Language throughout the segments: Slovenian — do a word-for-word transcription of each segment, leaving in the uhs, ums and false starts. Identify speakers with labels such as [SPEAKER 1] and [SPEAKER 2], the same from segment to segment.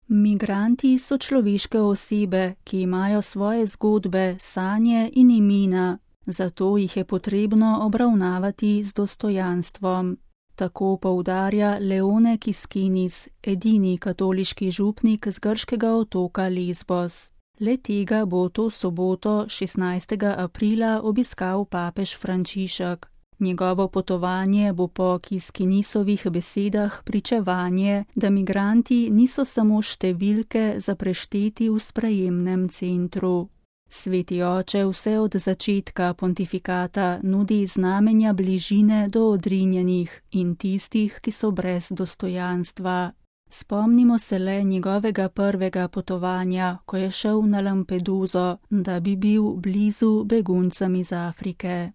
[SPEAKER 1] Migranti so človeške osebe, ki imajo svoje zgodbe, sanje in imena, zato jih je potrebno obravnavati z dostojanstvom. Tako poudarja Leone Kiskinis, edini katoliški župnik z grškega otoka Lesbos. Le tega bo to soboto, šestnajstega aprila, obiskal papež Frančišek. Njegovo potovanje bo po Kiskinisovih besedah pričevanje, da migranti niso samo številke za prešteti v sprejemnem centru. Sveti oče vse od začetka pontifikata nudi znamenja bližine do odrinjenih in tistih, ki so brez dostojanstva. Spomnimo se le njegovega prvega potovanja, ko je šel na Lampeduzo, da bi bil blizu beguncem iz Afrike.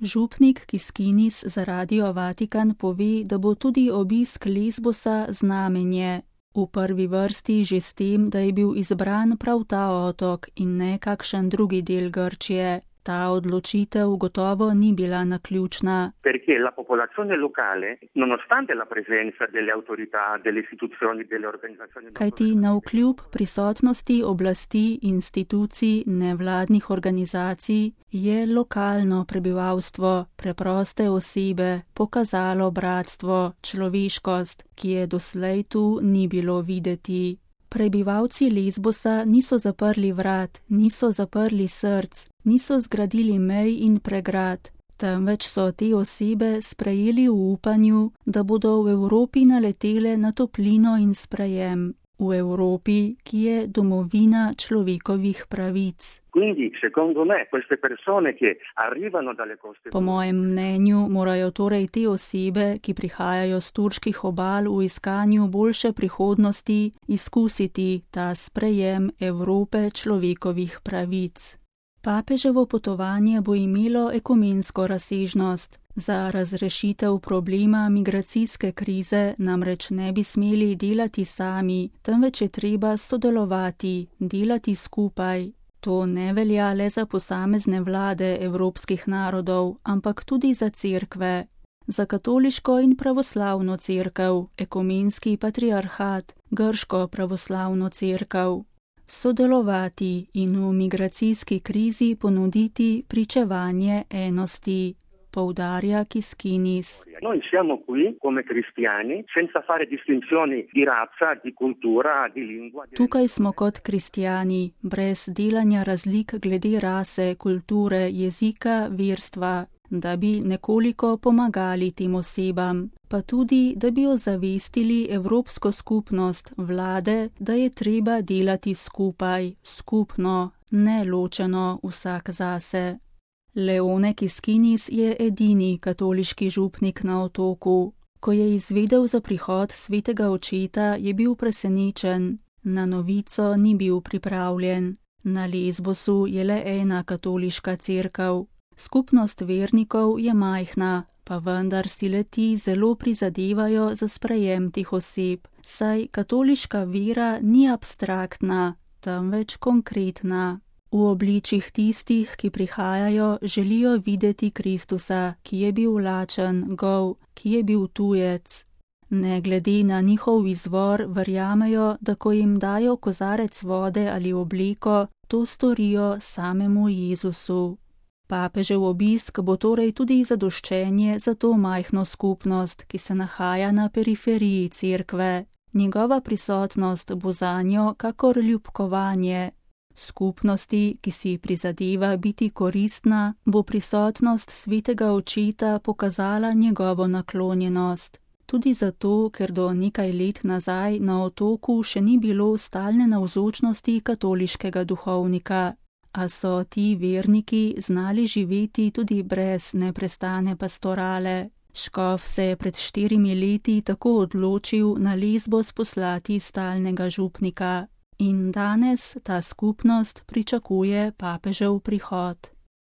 [SPEAKER 1] Župnik Kiskinis za Radio Vatikan pove, da bo tudi obisk Lesbosa znamenje. V prvi vrsti že s tem, da je bil izbran prav ta otok in ne kakšen drugi del Grčije. Ta odločitev gotovo ni bila naključna.
[SPEAKER 2] Perché la popolazione locale, nonostante la presenza delle autorità, delle istituzioni, delle organizzazioni...
[SPEAKER 1] Kajti navkljub prisotnosti oblasti, institucij, nevladnih organizacij, je lokalno prebivalstvo, preproste osebe, pokazalo bratstvo, človeškost, ki je doslej tu ni bilo videti. Prebivalci Lesbosa niso zaprli vrat, niso zaprli src, niso zgradili mej in pregrad, temveč so te osebe sprejeli v upanju, da bodo v Evropi naletele na toplino in sprejem. V Evropi, ki je domovina človekovih pravic.
[SPEAKER 2] Quindi, secondo me, queste persone che arrivano dalle coste...
[SPEAKER 1] Po mojem mnenju morajo torej te osebe, ki prihajajo z turških obal v iskanju boljše prihodnosti, izkusiti ta sprejem Evrope človekovih pravic. Papeževo potovanje bo imelo ekumensko razsežnost. Za razrešitev problema migracijske krize namreč ne bi smeli delati sami, temveč je treba sodelovati, delati skupaj. To ne velja le za posamezne vlade evropskih narodov, ampak tudi za cerkve. Za katoliško in pravoslavno cerkev, ekumenski patriarhat, grško pravoslavno cerkev. Sodelovati in v migracijski krizi ponuditi pričevanje enosti, poudarja Kiskinis.
[SPEAKER 2] Noi siamo qui come cristiani senza fare distinzioni di razza, di cultura, di lingua.
[SPEAKER 1] Tukaj smo kot kristjani, brez delanja razlik glede rase, kulture, jezika, verstva, da bi nekoliko pomagali tem osebam, pa tudi, da bi ozavestili Evropsko skupnost, vlade, da je treba delati skupaj, skupno, ne ločeno vsak zase. Leone Kiskinis je edini katoliški župnik na otoku. Ko je izvedel za prihod svetega očeta, je bil presenečen. Na novico ni bil pripravljen. Na Lesbosu je le ena katoliška cerkev. Skupnost vernikov je majhna, pa vendar si le-ti zelo prizadevajo za sprejem teh oseb, saj katoliška vera ni abstraktna, temveč konkretna. V obličjih tistih, ki prihajajo, želijo videti Kristusa, ki je bil lačen, gol, ki je bil tujec. Ne glede na njihov izvor, verjamejo, da ko jim dajo kozarec vode ali obleko, to storijo samemu Jezusu. Papežev obisk bo torej tudi zadoščenje za to majhno skupnost, ki se nahaja na periferiji cerkve. Njegova prisotnost bo zanjo kakor ljubkovanje. Skupnosti, ki si prizadeva biti koristna, bo prisotnost svetega očeta pokazala njegovo naklonjenost. Tudi zato, ker do nekaj let nazaj na otoku še ni bilo stalne navzočnosti katoliškega duhovnika, a so ti verniki znali živeti tudi brez neprestane pastorale. Škof se je pred štirimi leti tako odločil na Lesbos poslati stalnega župnika. In danes ta skupnost pričakuje papežev prihod.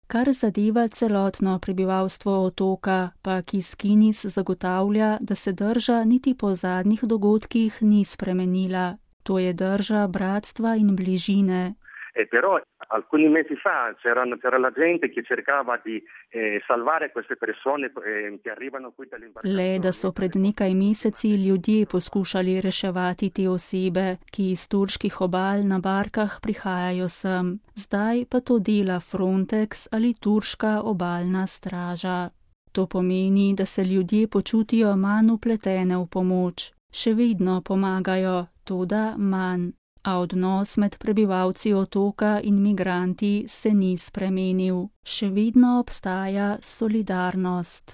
[SPEAKER 1] Kar zadeva celotno prebivalstvo otoka, pa Kiskinis zagotavlja, da se drža niti po zadnjih dogodkih ni spremenila. To je drža bratstva in bližine.
[SPEAKER 2] E però alcuni mesi fa c'era, c'era la gente che cercava di eh, salvare queste persone eh, che arrivano qui dalle imbarcazioni.
[SPEAKER 1] Le, da so pred nekaj meseci ljudje poskušali reševati te osebe, ki iz turških obal na barkah prihajajo sem. Zdaj pa to dela Frontex ali turška obalna straža. To pomeni, da se ljudje počutijo manj upletene v pomoč. Še vedno pomagajo, toda manj. A odnos med prebivalci otoka in migranti se ni spremenil. Še vedno obstaja solidarnost.